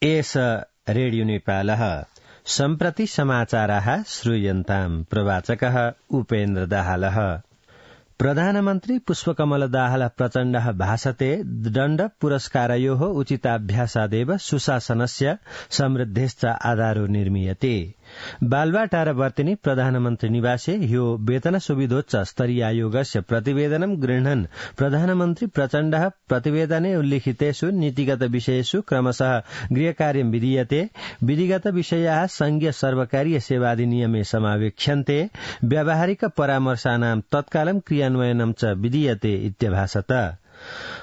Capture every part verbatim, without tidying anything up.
एष रेडियो नेपालः सम्प्रति समाचाराः श्रूयन्ताम्। प्रवाचकः उपेन्द्र दाहालः। प्रधानमन्त्री पुष्पकमल दाहाल प्रचण्डः भाषते दण्ड पुरस्कारयोः उचिताभ्यासादेव सुशासनस्य समृद्धेश्च आधारो निर्मीयते। बालवाटार वर्तिनी प्रधानमन्त्री निवासे ह्यो वेतन सुविधोच्च स्तरीय आयोगस्य प्रतिवेदनं गृह्णन् प्रधानमन्त्री प्रचण्डः प्रतिवेदने उल्लिखितेषु नीतिगत विषयेषु क्रमशः गृहकार्यं विधीयते, विधिगत विषयाः संघीय सर्वकारीय सेवाधिनियमे समावेक्ष्यन्ते, व्यावहारिक परामर्शानां तत्कालं क्रियान्वयनं च विधीयते इत्यभाषत।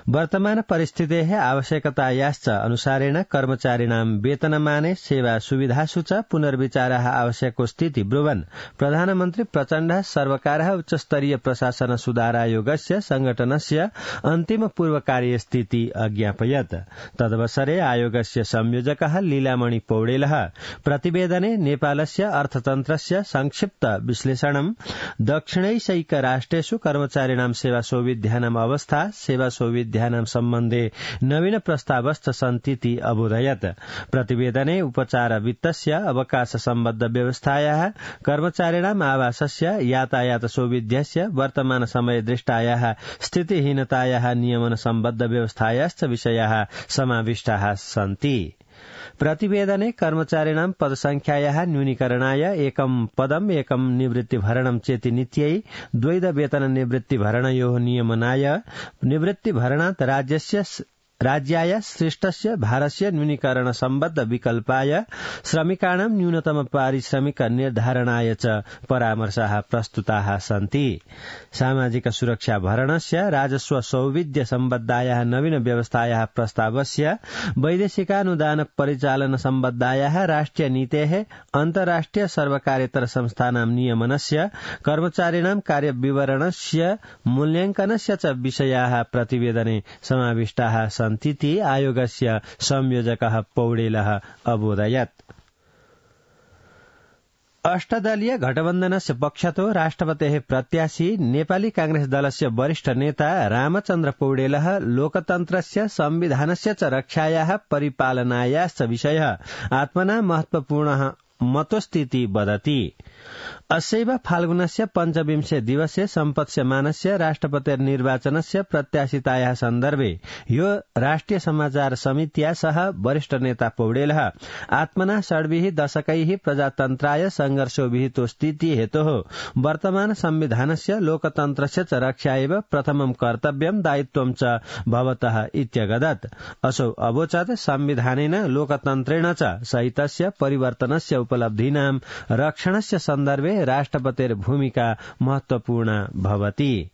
वर्तमान परिस्थितेः आवश्यकतायाश्च अनुसारेण कर्मचारिणां वेतनमाने सेवा सुविधासु च पुनर्विचारः आवश्यको स्थिति ब्रुवन् प्रधानमन्त्री प्रचण्डः सर्वकारः उच्चस्तरीय प्रशासन सुधारायोगस्य संगठनस्य अन्तिम पूर्वकार्यस्थिति अज्ञापयत्। तदवसरे आयोगस्य संयोजकः लीलामणि पौडेलः प्रतिवेदने नेपालस्य अर्थतन्त्रस्य संक्षिप्त विश्लेषणं, दक्षिणैशैक राष्ट्रेषु कर्मचारिणां सेवा सौविध्यानाम् अवस्था, सेवा सौविध्यानां सम्बन्धे नवीन प्रस्तावश्च सन्तीति अबोधयत्। प्रतिवेदने उपचार वित्तस्य, अवकाश सम्बद्ध व्यवस्थायाः, कर्मचारिणाम् आवासस्य, यातायात सौविध्यस्य, वर्तमान समय दृष्टायाः स्थितिहीनतायाः नियमन सम्बद्ध व्यवस्थायाश्च विषयाः समाविष्टाः सन्ति। प्रतिवेदने कर्मचारिणां पदसंख्यायाः न्यूनीकरणाय एकं पदम् एकं निवृत्तिभरणं चेति नीत्यै द्वैध वेतन निवृत्तिभरणयोः नियमनाय, निवृत्तिभरणात् राज्यस्य राज्याय सृष्टस्य भारस्य न्यूनीकरण सम्बद्ध विकल्पाय, श्रमिकाणां न्यूनतम पारिश्रमिक निर्धारणाय च परामर्शाः प्रस्तुताः सन्ति। सामाजिक सुरक्षा भरणस्य, राजस्व सौविध्य सम्बद्धायाः नवीन व्यवस्थायाः प्रस्तावस्य, वैदेशिकानुदान परिचालन सम्बद्धायाः राष्ट्रिय नीतेः, अन्तर्राष्ट्रिय सर्वकार्यतर संस्थानां नियमनस्य, कर्मचारिणां कार्यविवरणस्य मूल्याङ्कनस्य च विषयाः प्रतिवेदने समाविष्टाः सन्तीति आयोगस्य संयोजकः पौडेलः अबोधयत्। अष्टदलीय गठबन्धनस्य पक्षतो राष्ट्रपतेः प्रत्याशी नेपाली कांग्रेस दलस्य वरिष्ठ नेता रामचन्द्र पौडेलः लोकतन्त्रस्य संविधानस्य च रक्षायाः परिपालनायाश्च विषयः आत्मना महत्वपूर्णः मतोस्तीति वदति। अस्यैव फाल्गुनस्य पञ्चविंशे दिवसे सम्पत्स्यमानस्य राष्ट्रपतिर्निर्वाचनस्य प्रत्याशितायाः सन्दर्भे यो राष्ट्रिय समाचार समित्या सह वरिष्ठ नेता पौडेलः आत्मना षड्भिः दशकैः प्रजातन्त्राय संघर्षो विहितो स्थिति हेतोः वर्तमान संविधानस्य लोकतन्त्रस्य च रक्षा एव प्रथमं कर्तव्यं दायित्वं च भवतः इत्यगदत्। असौ अवोचत् संविधानेन लोकतन्त्रेण च सहितस्य परिवर्तनस्य उपलब्धीनां रक्षणस्य सन्दर्भे राष्ट्रपतेर्भूमिका महत्वपूर्णा भवति।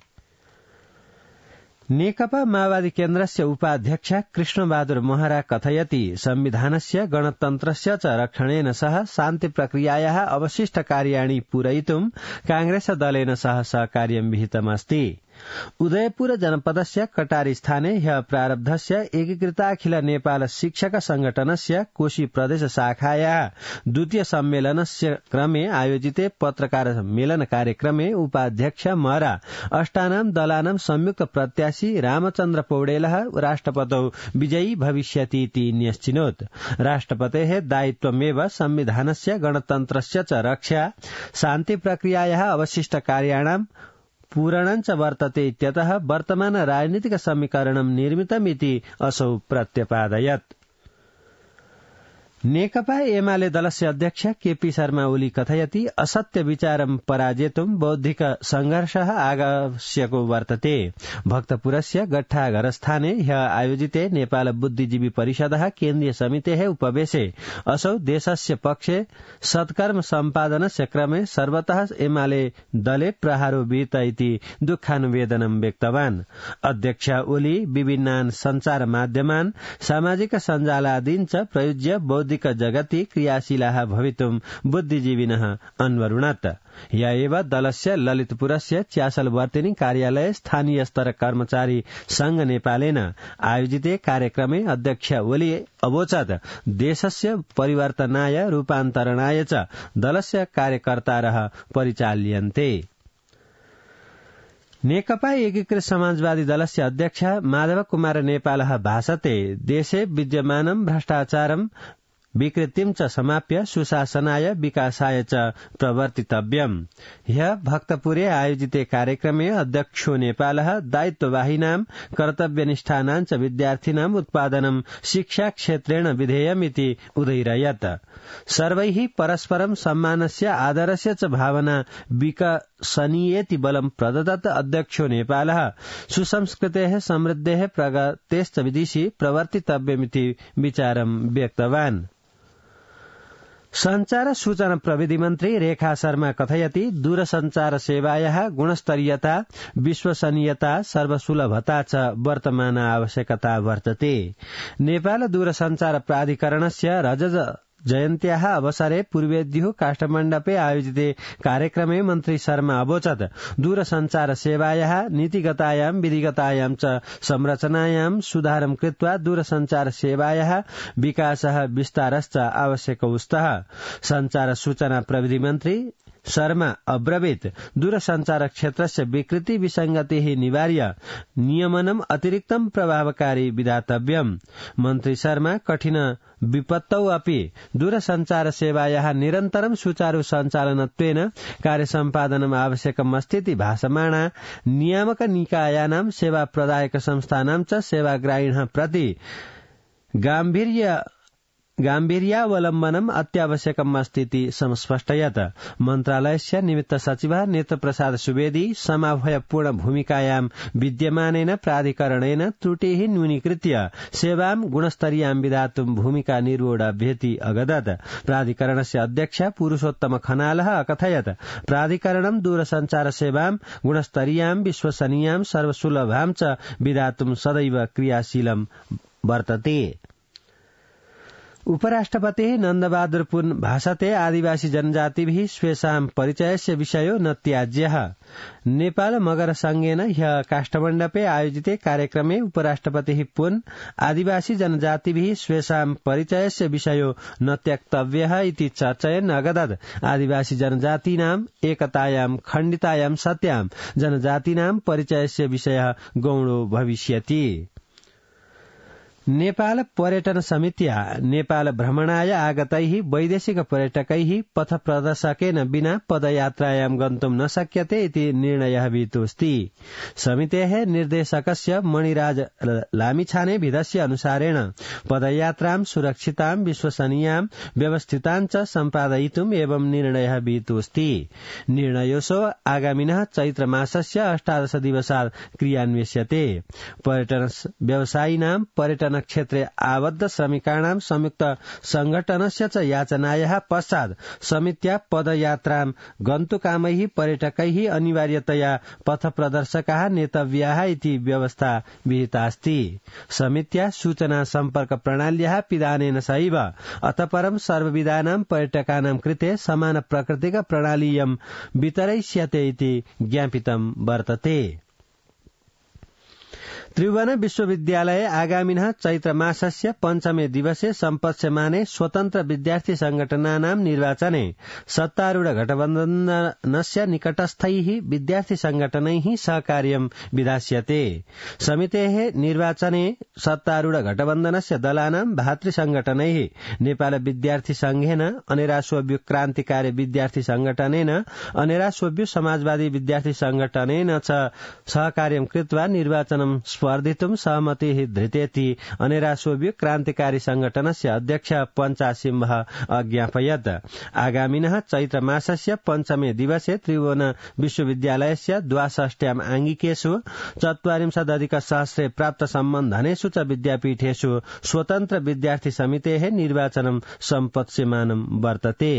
नेकपा माओवादी केन्द्रस्य उपाध्यक्ष कृष्णबहादुर महरा कथयति संविधानस्य गणतन्त्रस्य च रक्षणेन सह शान्ति प्रक्रियायाः अवशिष्ट कार्याणि पूरयितुं कांग्रेस दलेन सह सहकार्यं विहितमस्ति। उदयपुर जनपदस्य कटारी स्थाने ह्यः प्रारब्धस्य एकीकृताखिल नेपाल शिक्षक संगठनस्य कोशी प्रदेश शाखायाः द्वितीय सम्मेलनस्य क्रमे आयोजिते पत्रकार मेलन कार्यक्रमे उपाध्यक्ष महरा अष्टानां दलानां संयुक्त प्रत्याशी रामचन्द्र पौडेलः राष्ट्रपतौ विजयी भविष्यतीति न्यश्चिनोत्। राष्ट्रपतेः दायित्वमेव संविधानस्य गणतन्त्रस्य च रक्षा, शान्ति प्रक्रियायाः अवशिष्ट कार्याणां पूरणञ्च वर्तते इत्यतः वर्तमान राजनीतिक समीकरणं निर्मितमिति असौ प्रत्यपादयत्। नेकपा एमाले दलस्य अध्यक्ष केपी शर्मा ओली कथयति असत्य विचारं पराजेतुं बौद्धिक संघर्षः आवश्यको वर्तते। भक्तपुरस्य गट्ठाघरस्थाने ह्यः आयोजिते नेपाल बुद्धिजीवी परिषदः केन्द्रीय समितेः उपवेशे असौ देशस्य पक्षे सत्कर्म सम्पादनस्य क्रमे सर्वतः एमाले दले प्रहारो विहित इति दुःखानुवेदनं व्यक्तवान्। अध्यक्ष ओली विभिन्नान् सञ्चार माध्यमान् सामाजिक सञ्जालादीन् च प्रयुज्य बौद्धिक जगति क्रियाशीलाः भवितुं बुद्धिजीविनः अन्वरुणत्। या एव दलस्य ललितपुरस्य च्यासलवर्तिनी कार्यालये स्थानीय स्तर कर्मचारी संघ नेपालेन आयोजिते कार्यक्रमे अध्यक्ष ओली अवोचत् देशस्य परिवर्तनाय रूपान्तरणाय च दलस्य कार्यकर्तारः परिचाल्यन्ते। नेकपा एकीकृत समाजवादी दलस्य अध्यक्ष माधव कुमार नेपालः भाषते देशे विद्यमानं भ्रष्टाचारं विकृतिं च समाप्य सुशासनाय विकासाय च प्रवर्तितव्यम्। ह्यः भक्तपुरे आयोजिते कार्यक्रमे अध्यक्षो नेपालः दायित्ववाहिनां कर्तव्यनिष्ठानां च विद्यार्थिनाम् उत्पादनं शिक्षा क्षेत्रेण विधेयमिति उदयिरयत्। सर्वैः परस्परं सम्मानस्य आदरस्य च भावना विकसनीयेति बलं प्रददत्। अध्यक्षो नेपालः सुसंस्कृतेः समृद्धेः प्रगतेश्च दिशि प्रवर्तितव्यमिति विचारं व्यक्तवान्। संचार सूचना प्रविधि मन्त्री रेखा शर्मा कथयति दूरसञ्चार सेवायाः गुणस्तरीयता विश्वसनीयता सर्वसुलभता च वर्तमान आवश्यकता वर्तते। नेपाल दूरसञ्चार प्राधिकरणस्य रजत जयन्त्याः अवसरे पूर्वेद्युः काष्ठमण्डपे आयोजिते कार्यक्रमे मन्त्री शर्मा अवोचत् दूरसञ्चार सेवायाः नीतिगतायां विधिगतायां च संरचनायां सुधारं कृत्वा दूरसञ्चार सेवायाः विकासः विस्तारश्च आवश्यकौ स्तः। संचार सूचना प्रविधि मन्त्री शर्मा अब्रवीत् दूरसञ्चार क्षेत्रस्य विकृति विसंगतिः निवार्य नियमनम् अतिरिक्तं प्रभावकारी विधातव्यम्। मन्त्री शर्मा कठिन विपत्तौ अपि दूरसञ्चार सेवायाः निरन्तरं सुचारु सञ्चालनत्वेन कार्यसम्पादनम् आवश्यकम् अस्तीति भाषमाणा नियामक निकायानां सेवा प्रदायक संस्थानां च सेवाग्राहिणः प्रति गाम्भीर्य गाम्भीर्यावलम्बनम् अत्यावश्यकम् अस्तीति संस्पष्टयत्। मन्त्रालयस्य निमित्त सचिवः नेत्रप्रसाद सुवेदी समाभयपूर्ण भूमिकायां विद्यमानेन प्राधिकरणेन त्रुटिः न्यूनीकृत्य सेवां गुणस्तरीयां विधातुं भूमिका निर्वोढाभ्येति अगदत्। प्राधिकरणस्य अध्यक्ष पुरुषोत्तम खनालः अकथयत् प्राधिकरणं दूरसञ्चार सेवां गुणस्तरीयां विश्वसनीयां सर्वसुलभां च विधातुं सदैव क्रियाशीलं वर्तते। उपराष्ट्रपतिः नन्दबहादुर पुन भाषते आदिवासी जनजातिभिः स्वेषां परिचयस्य विषयो न त्याज्यः। नेपाल मगर संघेन ह्यः काष्ठमण्डपे आयोजिते कार्यक्रमे उपराष्ट्रपतिः पुन आदिवासी जनजातिभिः स्वेषां परिचयस्य विषयो न त्यक्तव्यः इति चर्चयन् अगदत् आदिवासी जनजातीनाम् एकतायां खण्डितायां सत्यां जनजातीनां परिचयस्य विषयः गौणो भविष्यति। नेपाल पर्यटन समितिया नेपाल भ्रमणाय आगतैः वैदेशिक पर्यटकैः पथ प्रदर्शकेन विना पदयात्रायां गन्तुं न शक्यते इति निर्णयः विहितोऽस्ति। समितेः निर्देशकस्य मणिराज लामिछाने विधस्य अनुसारेण पदयात्रां सुरक्षितां विश्वसनीयां व्यवस्थितां च सम्पादयितुम् एवं निर्णयः विहितोऽस्ति। निर्णयोऽसौ आगामिनः चैत्र मासस्य अष्टादश दिवसात् क्रियान्विष्यते। पर्यटन व्यवसायिनां पर्यटन क्षेत्रे आबद्ध श्रमिकाणां संयुक्त संघटनस्य च याचनायाः पश्चात् समित्या पदयात्रां गन्तुकामैः पर्यटकैः अनिवार्यतया पथ प्रदर्शकाः नेतव्याः इति व्यवस्था विहितास्ति। समित्या सूचना सम्पर्क प्रणाल्याः पिधानेन सहैव अतः परं सर्वविधानां पर्यटकानां कृते समान प्रकृतिक प्रणालीयं वितरयिष्यते इति ज्ञापितं वर्तते। त्रिभुवन विश्वविद्यालय आगामिनः चैत्र मासस्य पञ्चमे दिवसे सम्पत्स्यमाने स्वतन्त्र विद्यार्थी संघटनानां निर्वाचने सत्तारूढ गठबन्धनस्य निकटस्थैः विद्यार्थी संघटनैः सहकार्यं विधास्यते। समितेः निर्वाचने सत्तारूढ गठबन्धनस्य दलानां भातृसंघटनैः नेपाल विद्यार्थी संघेन अनेरासोभ्य क्रान्तिकारी विद्यार्थी संघटनेन अनेरासोभ्य समाजवादी विद्यार्थी संघटनेन च सहकार्यं कृत्वा निर्वाचनं स्पर्धितुं सहमतिः धृतेति अनेरासोभ्य क्रान्तिकारी संघटनस्य अध्यक्ष पञ्चासिंह अज्ञापयत्। आगामिनः चैत्र मासस्य पञ्चमे दिवसे त्रिभुवन विश्वविद्यालयस्य द्वाषष्ट्याम् आङ्गिकेषु चत्वारिंशदधिक सहस्रे प्राप्त सम्बन्धनेषु च विद्यापीठेषु स्वतन्त्र विद्यार्थी समितेः निर्वाचनं सम्पत्स्यमानं वर्तते।